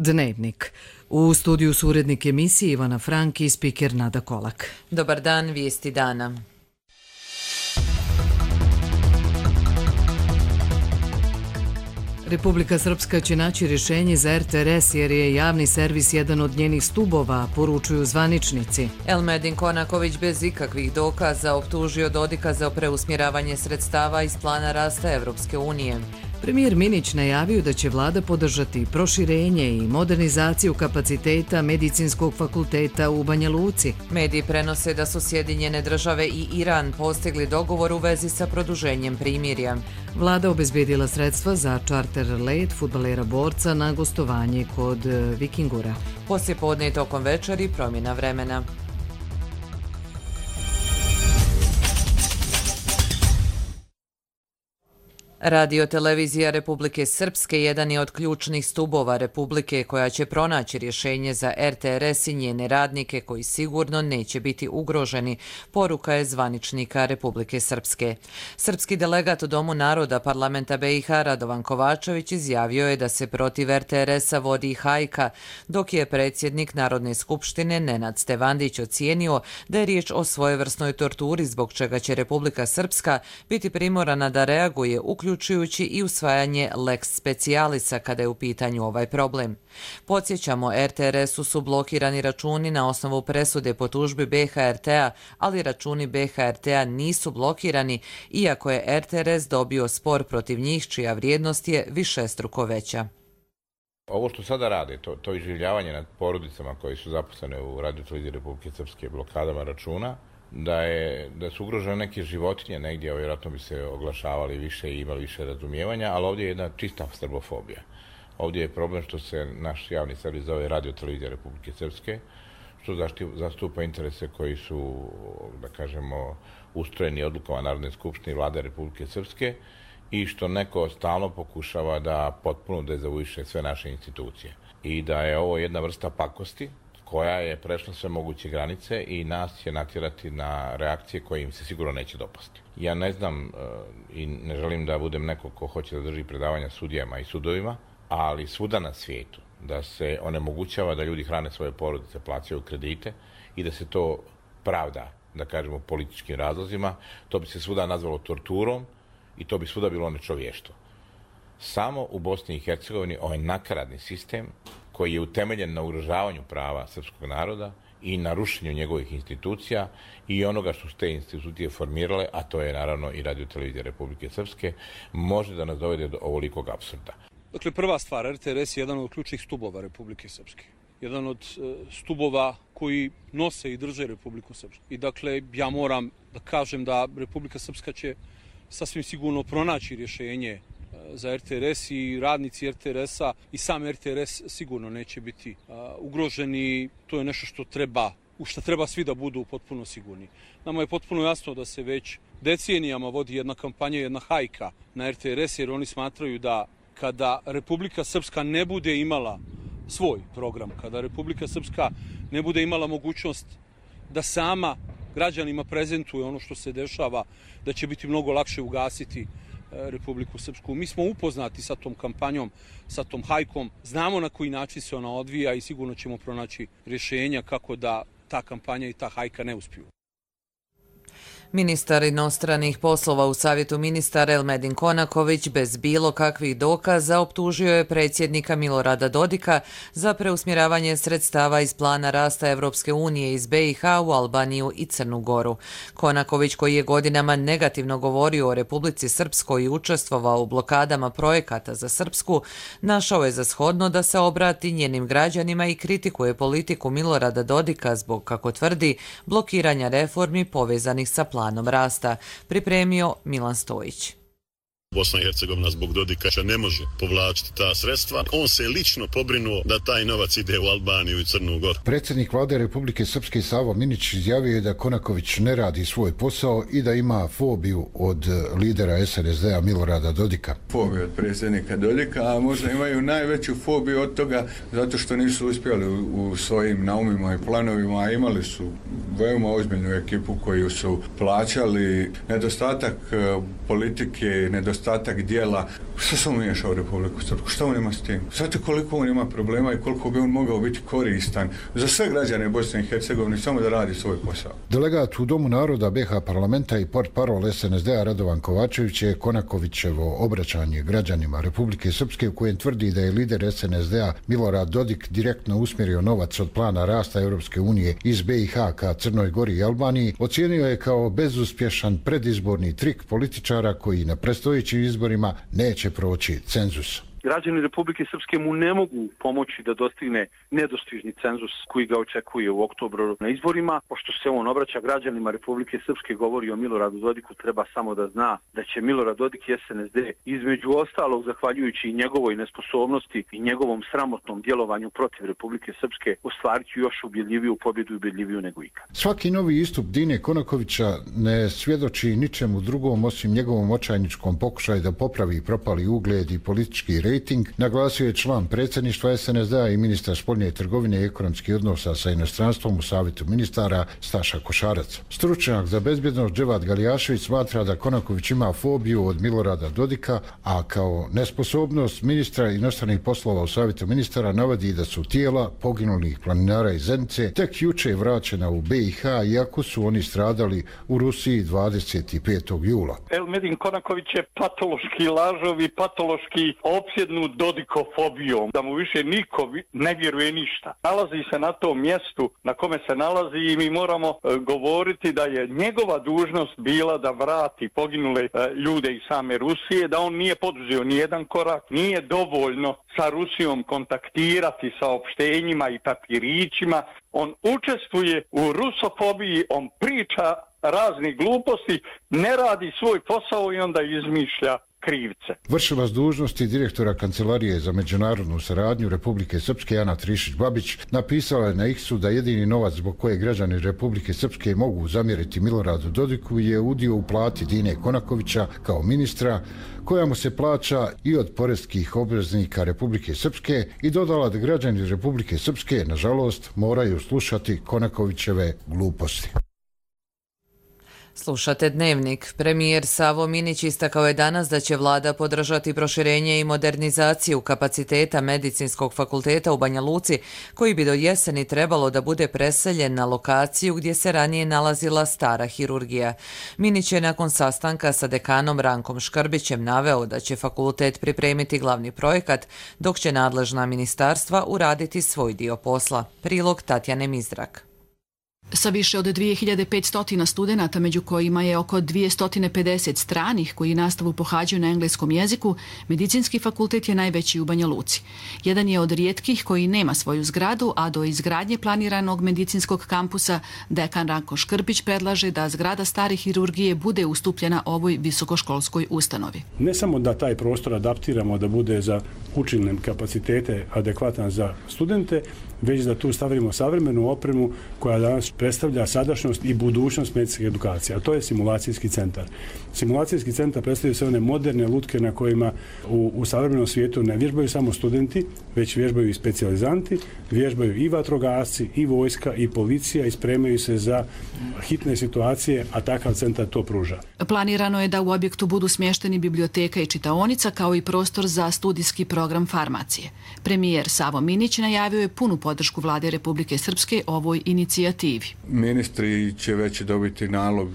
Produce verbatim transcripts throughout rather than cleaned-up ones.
Dnevnik. U studiju su urednik emisije Ivana Frank i spiker Nada Kolak. Dobar dan, vijesti dana. Republika Srpska će naći rješenje za er te er es jer je javni servis jedan od njenih stubova, poručuju zvaničnici. Elmedin Konaković bez ikakvih dokaza optužio Dodika za preusmjeravanje sredstava iz plana rasta Evropske unije. Premijer Minić najavio da će vlada podržati proširenje i modernizaciju kapaciteta Medicinskog fakulteta u Banja Luci. Mediji prenose da su Sjedinjene države i Iran postigli dogovor u vezi sa produženjem primirja. Vlada obezbedila sredstva za čarter let fudbalera borca na gostovanje kod Vikingura. Poslije podne i tokom večeri promjena vremena. Radio-televizija Republike Srpske jedan je od ključnih stubova Republike koja će pronaći rješenje za er te er es i njene radnike koji sigurno neće biti ugroženi, poruka je zvaničnika Republike Srpske. Srpski delegat u Domu naroda parlamenta be i ha Radovan Kovačević izjavio je da se protiv er te er esa vodi hajka, dok je predsjednik Narodne skupštine Nenad Stevandić ocijenio da je riječ o svojevrsnoj torturi zbog čega će Republika Srpska biti primorana da reaguje uključujući uključujući i usvajanje lex specialisa kada je u pitanju ovaj problem. Podsjećamo, er te er esu su blokirani računi na osnovu presude po tužbi be ha er te-a, ali računi be ha er te-a nisu blokirani, iako je er te er es dobio spor protiv njih, čija vrijednost je višestruko veća. Ovo što sada rade, to, to iživljavanje nad porodicama koji su zaposlene u Radio-televiziji Republike Srpske blokadama računa, da, je, da su ugrožene neke životinje negdje, vjerojatno bi se oglašavali više i imali više razumijevanja, ali ovdje je jedna čista srbofobija. Ovdje je problem što se naš javni servis zove Radio-televizija Republike Srpske, što zastupa interese koji su, da kažemo, ustrojeni odlukama Narodne skupštine i Vlade Republike Srpske i što neko stalno pokušava da potpuno dezavuiše sve naše institucije. I da je ovo jedna vrsta pakosti koja je prešla sve moguće granice i nas će natjerati na reakcije koje im se sigurno neće dopasti. Ja ne znam i ne želim da budem neko ko hoće da drži predavanja sudijama i sudovima, ali svuda na svijetu da se onemogućava da ljudi hrane svoje porodice, plaćaju kredite i da se to pravda, da kažemo, političkim razlozima, to bi se svuda nazvalo torturom i to bi svuda bilo nečovještvo. Samo u Bosni i Hercegovini ovaj nakaradni sistem koji je utemeljen na ugrožavanju prava srpskog naroda i na rušenju njegovih institucija i onoga što su te institucije formirale, a to je naravno i Radio-televizija Republike Srpske, može da nas dovede do ovolikog apsurda. Dakle, prva stvar, er te er es je jedan od ključnih stubova Republike Srpske. Jedan od stubova koji nose i drže Republiku Srpsku. I dakle, ja moram da kažem da Republika Srpska će sasvim sigurno pronaći rješenje za er te er es i radnici er te er esa i sam er te er es sigurno neće biti uh, ugroženi. To je nešto što treba, u što treba svi da budu potpuno sigurni. Nama je potpuno jasno da se već decenijama vodi jedna kampanja, jedna hajka na er te er es, jer oni smatraju da kada Republika Srpska ne bude imala svoj program, kada Republika Srpska ne bude imala mogućnost da sama građanima prezentuje ono što se dešava, da će biti mnogo lakše ugasiti Republiku Srpsku. Mi smo upoznati sa tom kampanjom, sa tom hajkom, znamo na koji način se ona odvija i sigurno ćemo pronaći rješenja kako da ta kampanja i ta hajka ne uspiju. Ministar inostranih poslova u Savjetu ministara Elmedin Konaković bez bilo kakvih dokaza optužio je predsjednika Milorada Dodika za preusmjeravanje sredstava iz plana rasta Evropske unije iz be i ha u Albaniju i Crnu Goru. Konaković, koji je godinama negativno govorio o Republici Srpskoj i učestvovao u blokadama projekata za Srpsku, našao je za shodno da se obrati njenim građanima i kritikuje politiku Milorada Dodika zbog, kako tvrdi, blokiranja reformi povezanih sa planom planom rasta, pripremio Milan Stojić. Bosna i Hercegovina zbog Dodika ne može povlačiti ta sredstva. On se lično pobrinuo da taj novac ide u Albaniju i Crnu Goru. Predsjednik vlade Republike Srpske Savo Minić izjavio je da Konaković ne radi svoj posao i da ima fobiju od lidera es en es de-a Milorada Dodika. Fobiju od predsjednika Dodika, a možda imaju najveću fobiju od toga zato što nisu uspjeli u svojim naumima i planovima, a imali su veoma ozbiljnu ekipu koju su plaćali. Nedostatak politike, nedostatak nedostatak dijela. Što se umiješa u Republiku Srpsku? Što on ima s tim? Znate koliko on ima problema i koliko bi on mogao biti koristan za sve građane Bosne i Hercegovine, samo da radi svoj posao. Delegat u Domu naroda be ha parlamenta i portparol es en es de a Radovan Kovačević je Konakovićevo obraćanje građanima Republike Srpske u kojem tvrdi da je lider es en es de a Milorad Dodik direktno usmjerio novac od plana rasta Europske unije iz be i ha ka Crnoj Gori i Albaniji, ocijenio je kao bezuspješan predizborni trik političara koji na predstojećim izborima neće proći cenzus. Građani Republike Srpske mu ne mogu pomoći da dostigne nedostižni cenzus koji ga očekuje u oktobru na izborima. Pošto se on obraća građanima Republike Srpske, govori o Miloradu Dodiku, treba samo da zna da će Milorad Dodik i es en es de između ostalog, zahvaljujući i njegovoj nesposobnosti i njegovom sramotnom djelovanju protiv Republike Srpske, ostvariti još ubjedljiviju pobjedu i ubjedljiviju nego ikad. Svaki novi istup Dine Konakovića ne svjedoči ničemu drugom osim njegovom očajničkom pokušaju da popravi propali ugled i politički rating, naglasio je član predsjedništva es en es de a i ministar spoljne trgovine i ekonomskih odnosa sa inostranstvom u Savjetu ministara Staša Košarac. Stručnjak za bezbjednost Dževad Galijašević smatra da Konaković ima fobiju od Milorada Dodika, a kao nesposobnost ministra inostranih poslova u Savjetu ministara navodi da su tijela poginulih planinara iz Zenice tek juče vraćena u be i ha, iako su oni stradali u Rusiji dvadeset petog jula. Elmedin Konaković je patološki lažov i patološki opsjednut Dodikofobijom, da mu više niko ne vjeruje ništa. Nalazi se na tom mjestu na kome se nalazi i mi moramo e, govoriti da je njegova dužnost bila da vrati poginule e, ljude iz same Rusije, da on nije poduzeo ni jedan korak, nije dovoljno sa Rusijom kontaktirati saopštenjima i papirićima. On učestvuje u rusofobiji, on priča raznih gluposti, ne radi svoj posao i onda izmišlja krivce. Vršilac dužnosti direktora Kancelarije za međunarodnu saradnju Republike Srpske Ana Trišić-Babić napisala je na X-u da jedini novac zbog koje građani Republike Srpske mogu zamjeriti Miloradu Dodiku je udio u plati Dine Konakovića kao ministra, koja mu se plaća i od poreskih obveznika Republike Srpske, i dodala da građani Republike Srpske, nažalost, moraju slušati Konakovićeve gluposti. Slušate Dnevnik. Premijer Savo Minić istakao je danas da će vlada podržati proširenje i modernizaciju kapaciteta Medicinskog fakulteta u Banja Luci, koji bi do jeseni trebalo da bude preseljen na lokaciju gdje se ranije nalazila stara hirurgija. Minić je nakon sastanka sa dekanom Rankom Škrbićem naveo da će fakultet pripremiti glavni projekat, dok će nadležna ministarstva uraditi svoj dio posla. Prilog Tatjane Mizrak. Sa više od dvije hiljade petsto studenata, među kojima je oko dvjesto pedeset stranih koji nastavu pohađaju na engleskom jeziku, Medicinski fakultet je najveći u Banja Luci. Jedan je od rijetkih koji nema svoju zgradu, a do izgradnje planiranog medicinskog kampusa dekan Ranko Škrbić predlaže da zgrada stare hirurgije bude ustupljena ovoj visokoškolskoj ustanovi. Ne samo da taj prostor adaptiramo da bude za učilne kapacitete adekvatan za studente, već da tu stavimo savremenu opremu koja danas predstavlja sadašnjost i budućnost medicinske edukacije, a to je simulacijski centar. Simulacijski centar predstavlja sve one moderne lutke na kojima u, u savremenom svijetu ne vježbaju samo studenti, već vježbaju i specijalizanti, vježbaju i vatrogasci, i vojska, i policija, i spremaju se za hitne situacije, a takav centar to pruža. Planirano je da u objektu budu smješteni biblioteka i čitaonica, kao i prostor za studijski program farmacije. Premijer Savo Minić najavio je punu podršku vlade Republike Srpske ovoj inicijativi. Ministri će već dobiti nalog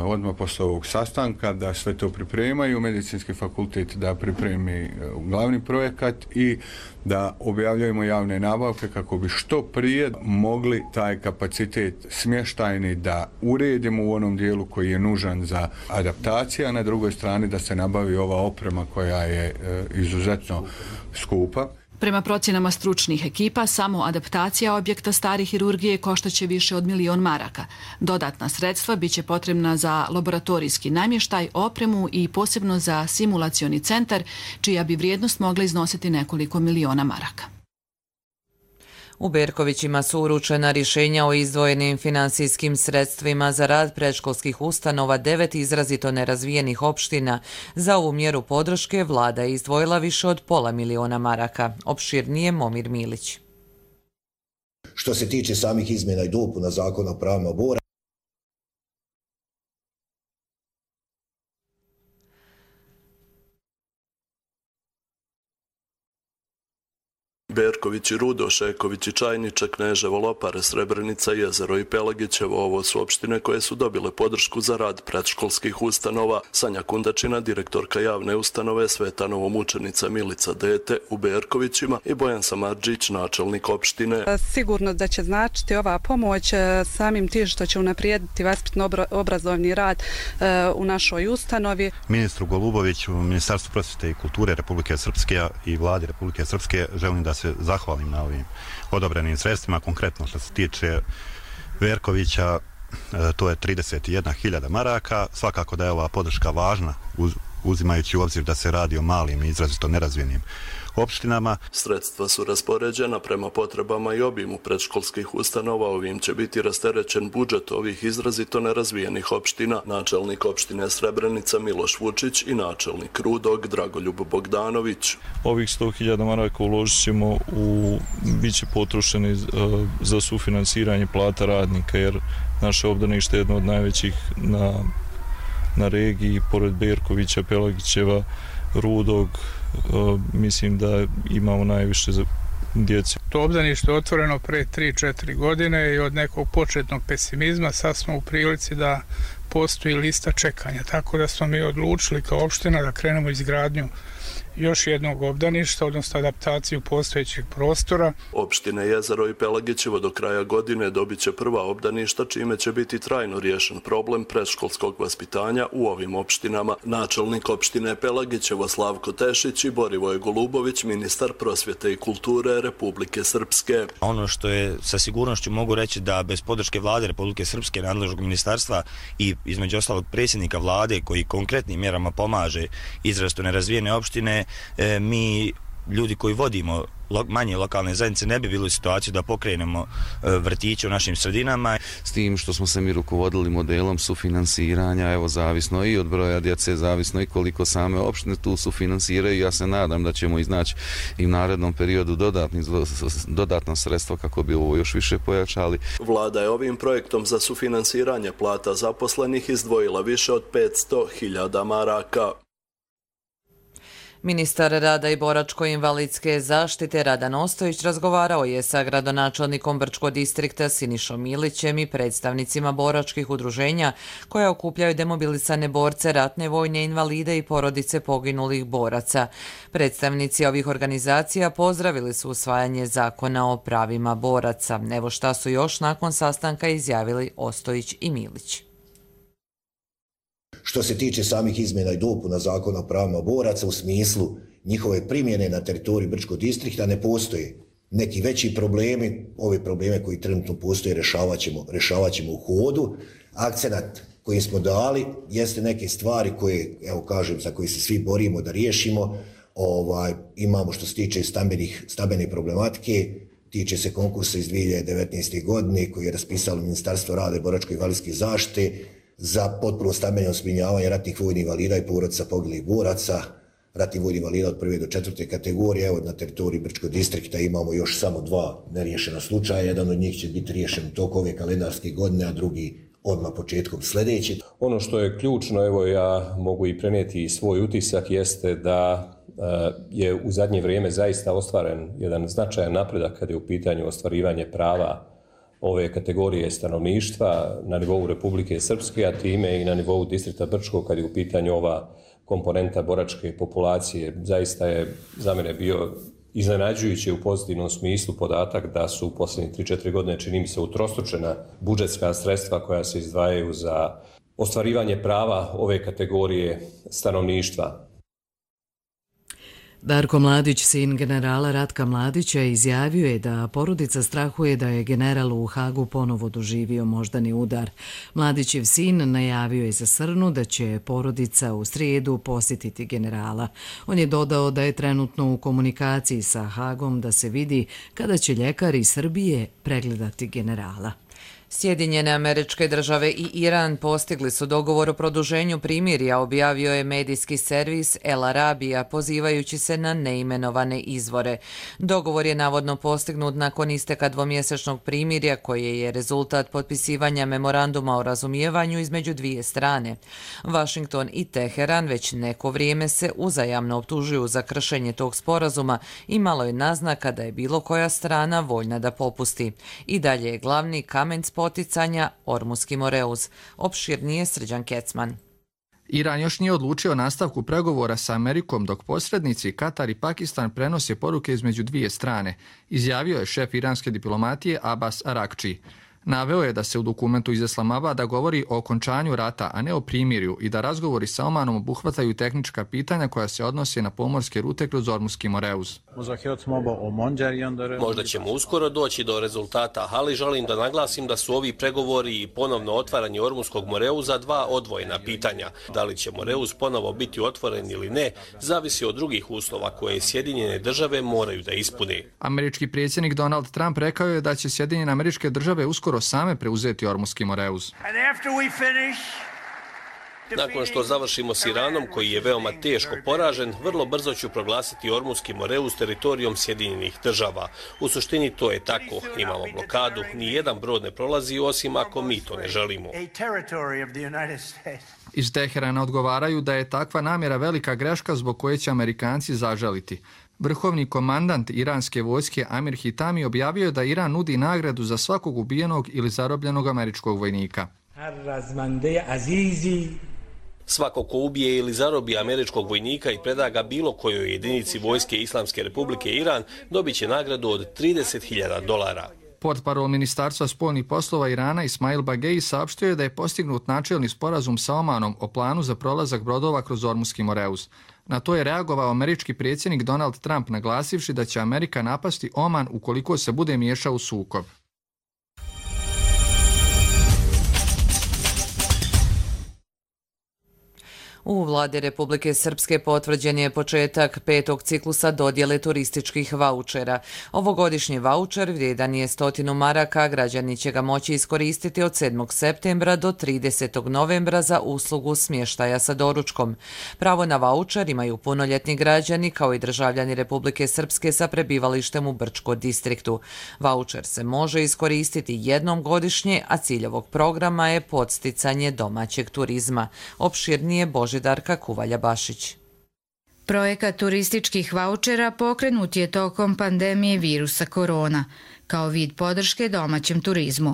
odmah posle ovog sastanka da sve to pripremaju, Medicinski fakultet da pripremi glavni projekat i da objavljujemo javne nabavke kako bi što prije mogli taj kapacitet smještajni da uredimo u onom dijelu koji je nužan za adaptacija, a na drugoj strani da se nabavi ova oprema koja je izuzetno skupa. Prema procjenama stručnih ekipa, samo adaptacija objekta stare hirurgije koštaće više od milion maraka. Dodatna sredstva biće potrebna za laboratorijski namještaj, opremu i posebno za simulacioni centar, čija bi vrijednost mogla iznositi nekoliko miliona maraka. U Berkovićima su uručena rješenja o izdvojenim finansijskim sredstvima za rad predškolskih ustanova devet izrazito nerazvijenih opština. Za ovu mjeru podrške vlada je izdvojila više od pola miliona maraka. Opširnije Momir Milić. Što se tiče samih izmjena i dopuna zakona o pravima boraca, Berkovići, Rudo, Šeković i Čajniče, Kneževo, Lopare, Srebrenica, Jezero i Pelagićevo. Ovo su opštine koje su dobile podršku za rad predškolskih ustanova. Sanja Kundačina, direktorka javne ustanove Svetanovo mučenica Milica Dete u Berkovićima i Bojan Samardžić, načelnik opštine. Sigurno da će značiti ova pomoć samim tim što će unaprijediti vaspitno-obrazovni rad u našoj ustanovi. Ministru Goluboviću, Ministarstvu prosvjete i kulture Republike Srpske i vladi Republike Srpske želim da se zahvalim na ovim odobrenim sredstvima. Konkretno što se tiče Verkovića, to je trideset jedna hiljada maraka. Svakako da je ova podrška važna uzimajući u obzir da se radi o malim i izrazito nerazvijenim opštinama. Sredstva su raspoređena prema potrebama i obimu predškolskih ustanova. Ovim će biti rasterećen budžet ovih izrazito nerazvijenih opština. Načelnik opštine Srebrenica Miloš Vučić i načelnik Rudog Dragoljub Bogdanović. Ovih sto hiljada maraka uložit ćemo u, bit će potrošeni za sufinansiranje plata radnika, jer naše obdanište je jedno od najvećih na, na regiji, pored Berkovića, Pelagićeva, Rudog, mislim da imamo najviše djece. To obdanište je otvoreno pre tri četiri godine i od nekog početnog pesimizma sad smo u prilici da postoji lista čekanja, tako da smo mi odlučili kao opština da krenemo izgradnju još jednog obdaništa, odnosno adaptaciju postojećeg prostora. Opštine Jezero i Pelagićevo do kraja godine dobit će prva obdaništa, čime će biti trajno riješen problem predškolskog vaspitanja u ovim opštinama. Načelnik opštine Pelagićevo Slavko Tešić i Borivoje Golubović, ministar prosvjete i kulture Republike Srpske. Ono što je sa sigurnošću mogu reći da bez podrške vlade Republike Srpske, nadležnog ministarstva i između ostalog predsjednika vlade koji konkretnim mjerama pomaže izrazito nerazvijene opštine, mi ljudi koji vodimo manje lokalne zajednice ne bi bili u situaciji da pokrenemo vrtiće u našim sredinama. S tim što smo se mi rukovodili modelom sufinansiranja, evo zavisno i od broja djece, zavisno i koliko same opštine tu sufinansiraju. Ja se nadam da ćemo iznaći i u narednom periodu dodatni, dodatna sredstva kako bi ovo još više pojačali. Vlada je ovim projektom za sufinansiranje plata zaposlenih izdvojila više od petsto hiljada maraka. Ministar rada i boračko-invalidske zaštite Radan Ostojić razgovarao je sa gradonačelnikom Brčkog distrikta Sinišom Milićem i predstavnicima boračkih udruženja koja okupljaju demobilisane borce, ratne vojne invalide i porodice poginulih boraca. Predstavnici ovih organizacija pozdravili su usvajanje zakona o pravima boraca. Evo šta su još nakon sastanka izjavili Ostojić i Milić. Što se tiče samih izmjena i dopuna zakona o pravima boraca u smislu njihove primjene na teritoriji Brčkog distrikta ne postoje neki veći problemi. Ove probleme koji trenutno postoje rješavat ćemo, rješavat ćemo u hodu. Akcenat koji smo dali jeste neke stvari koje, evo kažem, za koje se svi borimo da riješimo. Ovaj, imamo što se tiče stambenih, stambene problematike, tiče se konkursa iz dvije hiljade devetnaeste. godine koji je raspisalo Ministarstvo rada i boračko-invalidske zaštite za potpuno stambeno zbrinjavanje ratnih vojnih invalida i porodica poginulih boraca, ratnih vojnih invalida od prve do četvrte kategorije. Evo na teritoriji Brčkog distrikta imamo još samo dva neriješena slučaja, jedan od njih će biti riješen u toku ove kalendarske godine, a drugi odmah početkom sljedeće. Ono što je ključno, evo ja mogu i prenijeti svoj utisak, jeste da je u zadnje vrijeme zaista ostvaren jedan značajan napredak kad je u pitanju ostvarivanje prava ove kategorije stanovništva na nivou Republike Srpske, a time i na nivou distrikta Brčkog kad je u pitanju ova komponenta boračke populacije. Zaista je za mene bio iznenađujuće u pozitivnom smislu podatak da su u posljednjih tri četiri godine, čini mi se, utrostručena budžetska sredstva koja se izdvajaju za ostvarivanje prava ove kategorije stanovništva. Darko Mladić, sin generala Ratka Mladića, izjavio je da porodica strahuje da je general u Hagu ponovo doživio moždani udar. Mladićev sin najavio je za Srnu da će porodica u srijedu posjetiti generala. On je dodao da je trenutno u komunikaciji sa Hagom da se vidi kada će ljekari iz Srbije pregledati generala. Sjedinjene Američke Države i Iran postigli su dogovor o produženju primirja, objavio je medijski servis El Arabija, pozivajući se na neimenovane izvore. Dogovor je navodno postignut nakon isteka dvomjesečnog primirja, koje je rezultat potpisivanja memoranduma o razumijevanju između dvije strane. Washington i Teheran već neko vrijeme se uzajamno optužuju za kršenje tog sporazuma i malo je naznaka da je bilo koja strana voljna da popusti. I dalje je glavni kamen spoticanja Ormuski Moreuz. Opširnije Srđan Kecman. Iran još nije odlučio o nastavku pregovora sa Amerikom, dok posrednici Katar i Pakistan prenose poruke između dvije strane, izjavio je šef iranske diplomatije Abbas Arakči. Naveo je da se u dokumentu iz Islamabada govori o okončanju rata, a ne o primirju, i da razgovori sa Omanom obuhvataju tehnička pitanja koja se odnose na pomorske rute kroz Ormuski Moreuz. Možda ćemo uskoro doći do rezultata, ali želim da naglasim da su ovi pregovori i ponovno otvaranje Ormuskog Moreuza dva odvojena pitanja. Da li će Moreuz ponovo biti otvoren ili ne, zavisi od drugih uslova koje Sjedinjene države moraju da ispune. Američki predsjednik Donald Trump rekao je da će Sjedinjene Američke Države uskoro same preuzeti Ormuski Moreuz. Nakon što završimo s Iranom, koji je veoma teško poražen, vrlo brzo ću proglasiti Ormuski Moreuz teritorijom Sjedinjenih država. U suštini to je tako. Imamo blokadu, ni jedan brod ne prolazi osim ako mi to ne želimo. Iz Teherana odgovaraju da je takva namjera velika greška zbog koje će Amerikanci zažaliti. Vrhovni komandant iranske vojske Amir Hitami objavio je da Iran nudi nagradu za svakog ubijenog ili zarobljenog američkog vojnika. Svako ko ubije ili zarobi američkog vojnika i preda ga bilo kojoj jedinici vojske Islamske Republike Iran, dobit će nagradu od trideset hiljada dolara. Portparol Ministarstva spoljnih poslova Irana Ismail Bagei saopštio je da je postignut načelni sporazum sa Omanom o planu za prolazak brodova kroz Ormuski Moreuz. Na to je reagovao američki predsjednik Donald Trump, naglasivši da će Amerika napasti Oman ukoliko se bude miješao u sukob. U vladi Republike Srpske potvrđen je početak petog ciklusa dodjele turističkih vaučera. Ovogodišnji vaučer vrijedan je stotinu maraka, građani će ga moći iskoristiti od sedmog septembra do tridesetog novembra za uslugu smještaja sa doručkom. Pravo na vaučer imaju punoljetni građani kao i državljani Republike Srpske sa prebivalištem u Brčko distriktu. Vaučer se može iskoristiti jednom godišnje, a cilj ovog programa je podsticanje domaćeg turizma. Opširnije Boži Darka Kuvalja-Bašić. Projekat turističkih vaučera pokrenut je tokom pandemije virusa korona, kao vid podrške domaćem turizmu.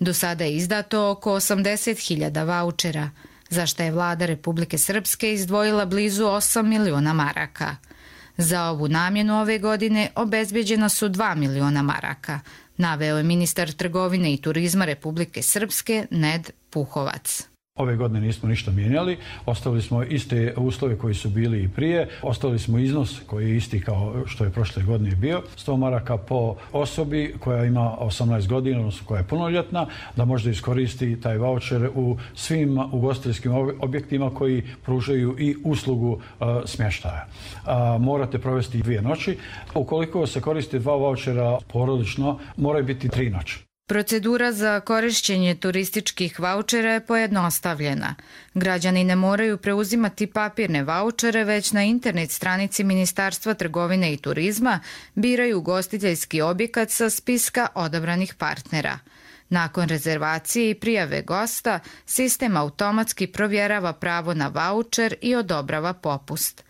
Do sada je izdato oko osamdeset hiljada vaučera, za što je vlada Republike Srpske izdvojila blizu osam miliona maraka. Za ovu namjenu ove godine obezbeđena su dva miliona maraka, naveo je ministar trgovine i turizma Republike Srpske Ned Puhovac. Ove godine nismo ništa mijenjali, ostavili smo iste uslove koji su bili i prije, ostavili smo iznos koji je isti kao što je prošle godine bio, sto maraka po osobi koja ima osamnaest godina, odnosno koja je punoljetna, da može iskoristi taj vaučer u svim ugostiteljskim objektima koji pružaju i uslugu uh, smještaja. Uh, morate provesti dvije noći. Ukoliko se koristi dva vaučera porodično, moraju biti tri noći. Procedura za korišćenje turističkih vaučera je pojednostavljena. Građani ne moraju preuzimati papirne vaučere, već na internet stranici Ministarstva trgovine i turizma biraju ugostiteljski objekat sa spiska odabranih partnera. Nakon rezervacije i prijave gosta, sistem automatski provjerava pravo na vaučer i odobrava popust.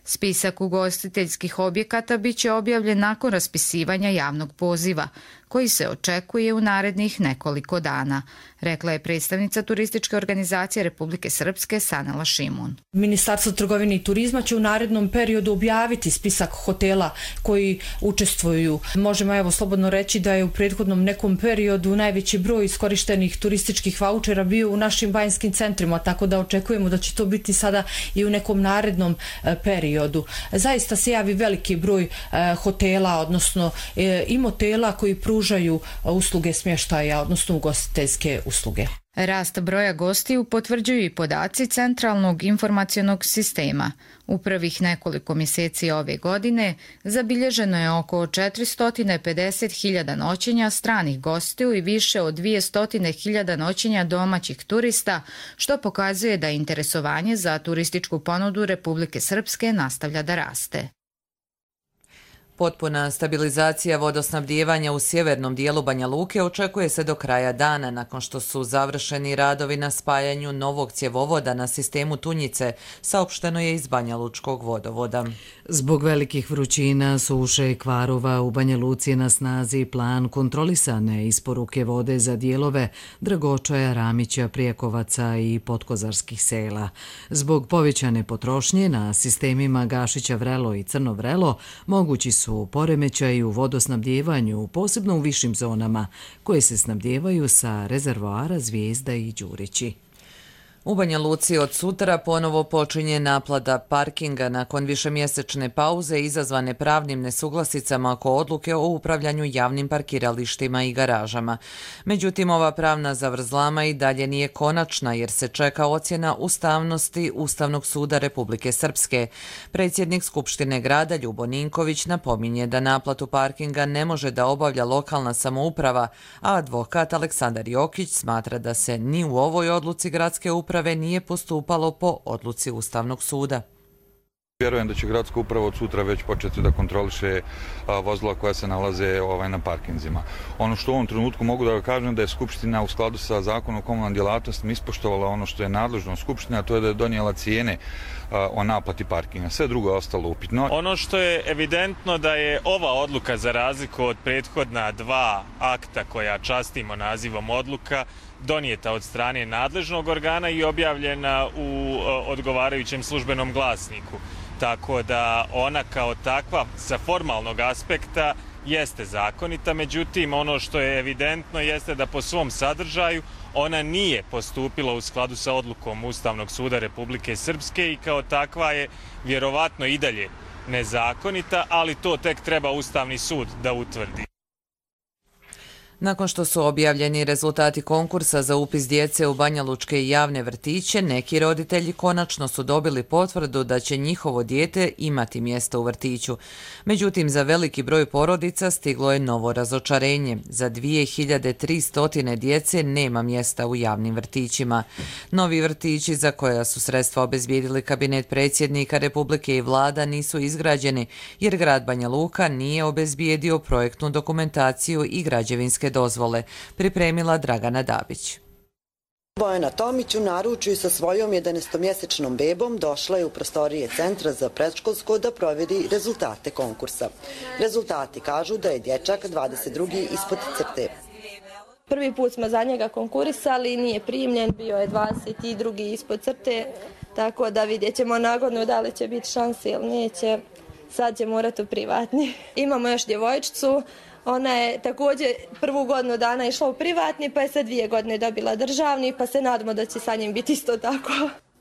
Spisak ugostiteljskih objekata biće objavljen nakon raspisivanja javnog poziva, koji se očekuje u narednih nekoliko dana, rekla je predstavnica turističke organizacije Republike Srpske Sanela Šimun. Ministarstvo trgovine i turizma će u narednom periodu objaviti spisak hotela koji učestvuju. Možemo evo slobodno reći da je u prethodnom nekom periodu najveći broj iskorištenih turističkih vaučera bio u našim banjskim centrima, tako da očekujemo da će to biti sada i u nekom narednom periodu. Zaista se javi veliki broj hotela, odnosno i motela koji pružaju pružaju usluge smještaja, odnosno ugostiteljske usluge. Rast broja gostiju potvrđuju i podaci Centralnog informacionog sistema. U prvih nekoliko mjeseci ove godine zabilježeno je oko četiristo pedeset hiljada noćenja stranih gostiju i više od dvjesto hiljada noćenja domaćih turista, što pokazuje da interesovanje za turističku ponudu Republike Srpske nastavlja da raste. Potpuna stabilizacija vodosnabdijevanja u sjevernom dijelu Banja Luke očekuje se do kraja dana, nakon što su završeni radovi na spajanju novog cjevovoda na sistemu Tunjice, saopšteno je iz Banja Lučkog vodovoda. Zbog velikih vrućina, suše i kvarova u Banja Luci je na snazi plan kontrolisane isporuke vode za dijelove Dragočaja, Ramića, Prijekovaca i Potkozarskih sela. Zbog povećane potrošnje na sistemima Gašića Vrelo i Crno Vrelo mogući su poremećaji u vodosnabdjevanju, posebno u višim zonama, koje se snabdjevaju sa rezervoara Zvijezda i Đurići. U Banja Luci od sutra ponovo počinje naplata parkinga nakon višemjesečne pauze izazvane pravnim nesuglasicama oko odluke o upravljanju javnim parkiralištima i garažama. Međutim, ova pravna zavrzlama i dalje nije konačna jer se čeka ocjena ustavnosti Ustavnog suda Republike Srpske. Predsjednik Skupštine grada Ljubo Ninković napominje da naplatu parkinga ne može da obavlja lokalna samouprava, a advokat Aleksandar Jokić smatra da se ni u ovoj odluci gradske uprave uprave nije postupalo po odluci Ustavnog suda. Vjerujem da će gradska uprava od sutra već početi da kontroliše vozila koja se nalaze ovaj, na parkinzima. Ono što u ovom trenutku mogu da kažem da je Skupština u skladu sa zakonom o komunalnim djelatnostima ispoštovala ono što je nadležno Skupština, a to je da je donijela cijene o naplati parkinga. Sve drugo je ostalo upitno. Ono što je evidentno da je ova odluka za razliku od prethodna dva akta koja častimo nazivom odluka donijeta od strane nadležnog organa i objavljena u odgovarajućem službenom glasniku. Tako da ona kao takva sa formalnog aspekta jeste zakonita, međutim ono što je evidentno jeste da po svom sadržaju ona nije postupila u skladu sa odlukom Ustavnog suda Republike Srpske i kao takva je vjerovatno i dalje nezakonita, ali to tek treba Ustavni sud da utvrdi. Nakon što su objavljeni rezultati konkursa za upis djece u banjalučke javne vrtiće, neki roditelji konačno su dobili potvrdu da će njihovo dijete imati mjesto u vrtiću. Međutim, za veliki broj porodica stiglo je novo razočarenje. Za dvije hiljade tristo djece nema mjesta u javnim vrtićima. Novi vrtići za koja su sredstva obezbijedili kabinet predsjednika Republike i vlada nisu izgrađeni, jer grad Banja Luka nije obezbijedio projektnu dokumentaciju i građevinske dozvole, pripremila Dragana Dabić. Bojana Tomić u naručju sa svojom jedanaestomjesečnom bebom došla je u prostorije Centra za predškolsko da provjeri rezultate konkursa. Rezultati kažu da je dječak dvadeset drugi ispod crte. Prvi put smo za njega konkurisali, nije primljen, bio je dvadeset drugi ispod crte, tako da vidjet ćemo nagodno da li će biti šanse ili neće. Sad će morati u privatni. Imamo još djevojčicu. Ona je također prvu godinu dana išla u privatni, pa je sad dvije godine dobila državni, pa se nadamo da će sa njim biti isto tako.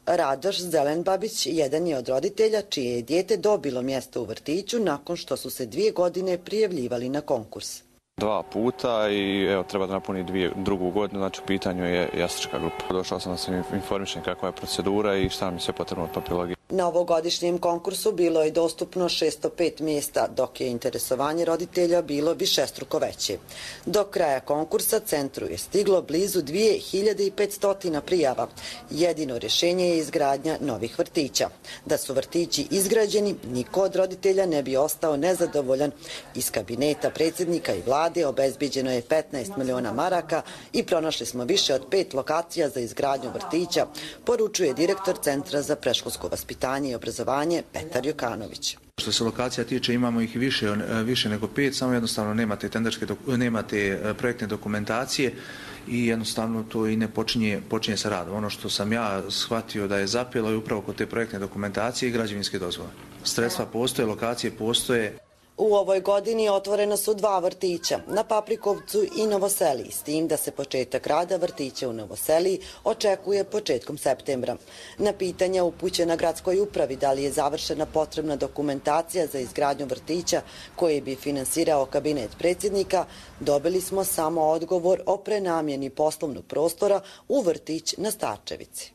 Radoš Zelenbabić jedan je od roditelja čije je dijete dobilo mjesto u vrtiću nakon što su se dvije godine prijavljivali na konkurs. Dva puta i evo treba da napuni dvije, drugu godinu, znači u pitanju je jasačka grupa. Došao sam da se informišem kakva je procedura i šta mi se potrebno od papirologije. Na ovogodišnjem konkursu bilo je dostupno šesto pet mjesta, dok je interesovanje roditelja bilo višestruko veće. Do kraja konkursa centru je stiglo blizu dvije hiljade petsto prijava. Jedino rješenje je izgradnja novih vrtića. Da su vrtići izgrađeni, niko od roditelja ne bi ostao nezadovoljan. Iz kabineta predsjednika i vlade obezbiđeno je petnaest miliona maraka i pronašli smo više od pet lokacija za izgradnju vrtića, poručuje direktor Centra za predškolsko vaspitanje i obrazovanje Petar Jokanović. Što se lokacija tiče, imamo ih više, više nego pet, samo jednostavno nemate, tenderske, nemate projektne dokumentacije i jednostavno to i ne počinje, počinje sa radom. Ono što sam ja shvatio da je zapelo je upravo kod te projektne dokumentacije i građevinske dozvole. Sredstva postoje, lokacije postoje. U ovoj godini otvorena su dva vrtića, na Paprikovcu i Novoseliji, s tim da se početak rada vrtića u Novoseliji očekuje početkom septembra. Na pitanja upućena gradskoj upravi da li je završena potrebna dokumentacija za izgradnju vrtića koji bi finansirao kabinet predsjednika, dobili smo samo odgovor o prenamjeni poslovnog prostora u vrtić na Starčevici.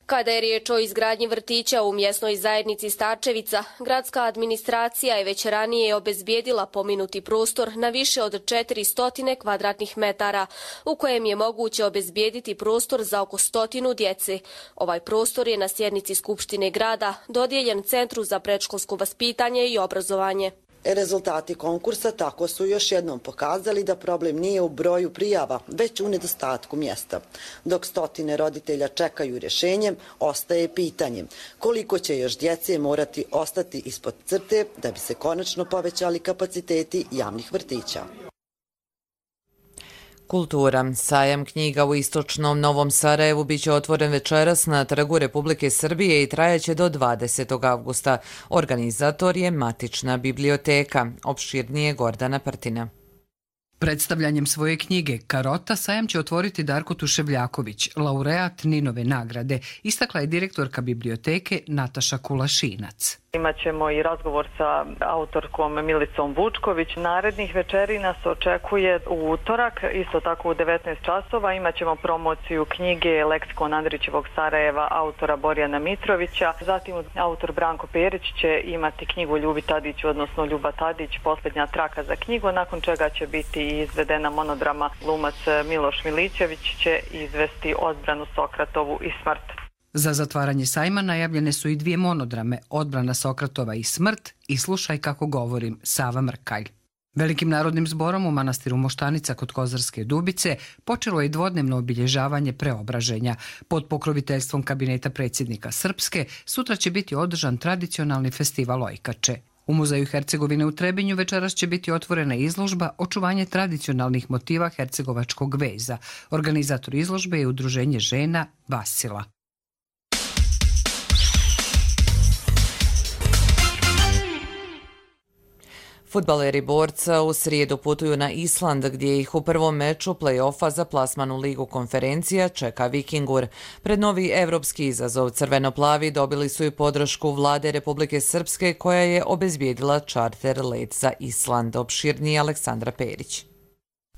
Kada je riječ o izgradnji vrtića u mjesnoj zajednici Starčevica, gradska administracija je već ranije obezbijedila pomenuti prostor na više od četiristo kvadratnih metara, u kojem je moguće obezbijediti prostor za oko stotinu djece. Ovaj prostor je na sjednici Skupštine grada dodijeljen Centru za predškolsko vaspitanje i obrazovanje. Rezultati konkursa tako su još jednom pokazali da problem nije u broju prijava, već u nedostatku mjesta. Dok stotine roditelja čekaju rješenje, ostaje pitanje koliko će još djece morati ostati ispod crte da bi se konačno povećali kapaciteti javnih vrtića. Kultura. Sajam knjiga u istočnom Novom Sarajevu biće otvoren večeras na Trgu Republike Srbije i trajaće do dvadesetog avgusta. Organizator je Matična biblioteka. Opširnije Gordana Prtina. Predstavljanjem svoje knjige Karota sajam će otvoriti Darko Tuševljaković, laureat Ninove nagrade, istakla je direktorka biblioteke Nataša Kulašinac. Imaćemo i razgovor sa autorkom Milicom Vučković. Narednih večeri nas očekuje u utorak, isto tako u devetnaest časova. Imaćemo promociju knjige Leksikon Andrićevog Sarajeva autora Borjana Mitrovića. Zatim autor Branko Perić će imati knjigu Ljubi Tadić, odnosno Ljuba Tadić, posljednja traka za knjigu, nakon čega će biti izvedena monodrama. Glumac Miloš Milićević će izvesti Odbranu Sokratovu i smrt. Za zatvaranje sajma najavljene su i dvije monodrame, Odbrana Sokratova i smrt i Slušaj kako govorim, Sava Mrkalj. Velikim narodnim zborom u manastiru Moštanica kod Kozarske Dubice počelo je dvodnevno obilježavanje preobraženja. Pod pokroviteljstvom kabineta predsjednika Srpske sutra će biti održan tradicionalni festival Ojkače. U Muzeju Hercegovine u Trebinju večeras će biti otvorena izložba Očuvanje tradicionalnih motiva hercegovačkog veza. Organizator izložbe je Udruženje žena Vasila. Fudbaleri Borca u srijedu putuju na Island gdje ih u prvom meču play-offa za plasman u Ligu konferencija čeka Vikingur. Pred novi evropski izazov crveno-plavi dobili su i podršku vlade Republike Srpske koja je obezbijedila čarter let za Island. Opširniji Aleksandra Perić.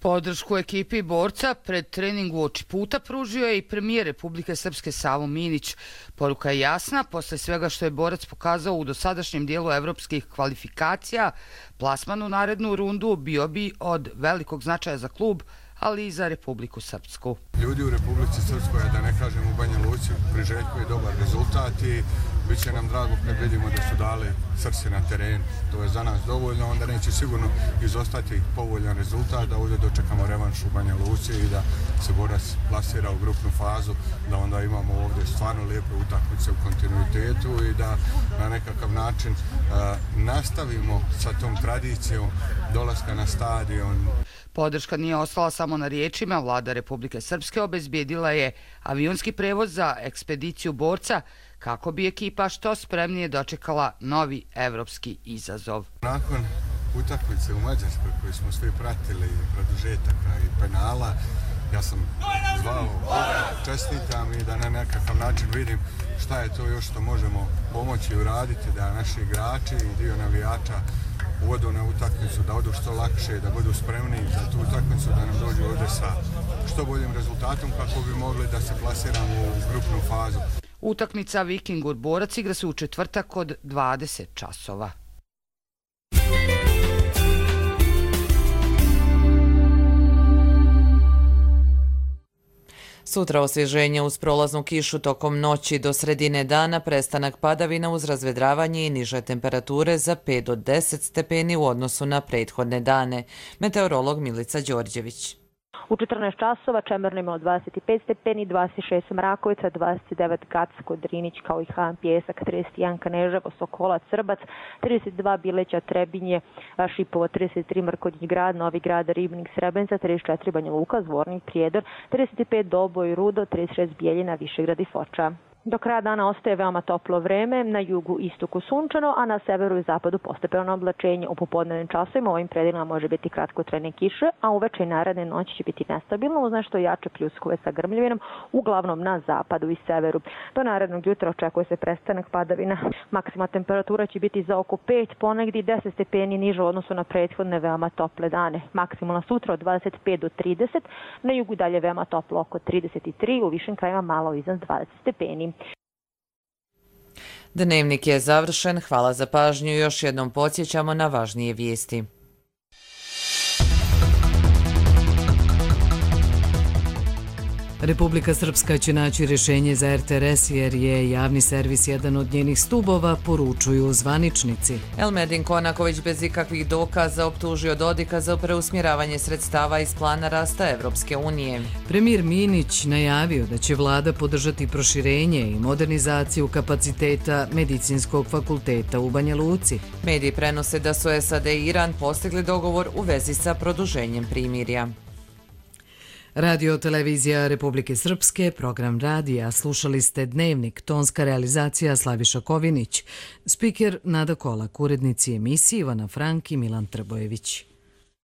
Podršku ekipi Borca pred trening uoči puta pružio je i premijer Republike Srpske Savo Minić. Poruka je jasna, posle svega što je Borac pokazao u dosadašnjem dijelu evropskih kvalifikacija, plasman u narednu rundu bio bi od velikog značaja za klub, ali i za Republiku Srpsku. Ljudi u Republici Srpskoj, da ne kažem u Banja Luci, priželjkuju dobar rezultat i bit će nam drago kad vidimo da su dali srce na terenu. To je za nas dovoljno, onda neće sigurno izostati povoljan rezultat, da ovdje dočekamo revanš u Banja Luci i da se Borac plasira u grupnu fazu, da onda imamo ovdje stvarno lijepe utakmice u kontinuitetu i da na nekakav način a, nastavimo sa tom tradicijom dolaska na stadion. Podrška nije ostala samo na riječima. Vlada Republike Srpske obezbijedila je avionski prevoz za ekspediciju Borca kako bi ekipa što spremnije dočekala novi evropski izazov. Nakon utakmice u Mađarskoj koju smo svi pratili, produžetaka i penala, ja sam zvao čestitam i da na nekakav način vidim šta je to još što možemo pomoći i uraditi, da naši igrači i dio navijača uvodu na utakmicu, da odu što lakše, da budu spremni za tu utakmicu, da nam dođu ovdje sa što boljim rezultatom kako bi mogli da se plasiramo u grupnu fazu. Utakmica Vikingur Borac igra se u četvrtak od dvadeset časova. Sutra osvježenje uz prolaznu kišu tokom noći do sredine dana, prestanak padavina uz razvedravanje i niže temperature za pet do deset stepeni u odnosu na prethodne dane. Meteorolog Milica Đorđević. U četrnaest časova Čemerno imalo dvadeset pet stepeni, dvadeset šest Mrakovica, dvadeset devet Gacko, Drinić kao i Han Pjesak, trideset jedan Kneževo, Sokolac, Srbac, trideset dva Bileća, Trebinje, Šipovo, trideset tri Mrkonjić Grad, Novi Grad, Ribnik, Srebrenica, trideset četiri Banja Luka, Zvornik, Prijedor, trideset pet Doboj, Rudo, trideset šest Bijeljina, Višegrad i Foča. Do kraja dana ostaje veoma toplo vreme, na jugu istoku sunčano, a na severu i zapadu postepeno oblačenje. U popodnevnim časovima u ovim predelima može biti kratkotrajne kiše, a uveče i naredne noći će biti nestabilno uz nešto jače pljuskove sa grmljavinom, uglavnom na zapadu i severu. Do narednog jutra očekuje se prestanak padavina. Maksimalna temperatura će biti za oko pet, ponegdje deset stepeni niže u odnosu na prethodne veoma tople dane. Maksimalna sutra od dvadeset pet do trideset, na jugu dalje veoma toplo oko trideset tri, u višim krajima malo iznad dvadeset stepeni. Dnevnik je završen, hvala za pažnju i još jednom podsjećamo na važnije vijesti. Republika Srpska će naći rješenje za er te er es jer je javni servis jedan od njenih stubova, poručuju zvaničnici. Elmedin Konaković bez ikakvih dokaza optužio Dodika za preusmjeravanje sredstava iz plana rasta Evropske unije. Premijer Minić najavio da će vlada podržati proširenje i modernizaciju kapaciteta Medicinskog fakulteta u Banja Luci. Mediji prenose da su es a de i Iran postigli dogovor u vezi sa produženjem primirja. Radio televizija Republike Srpske, program radija, slušali ste Dnevnik, tonska realizacija Slaviša Kovinić, spiker Nada Kolak, urednici emisije Ivana Frank i Milan Trbojević.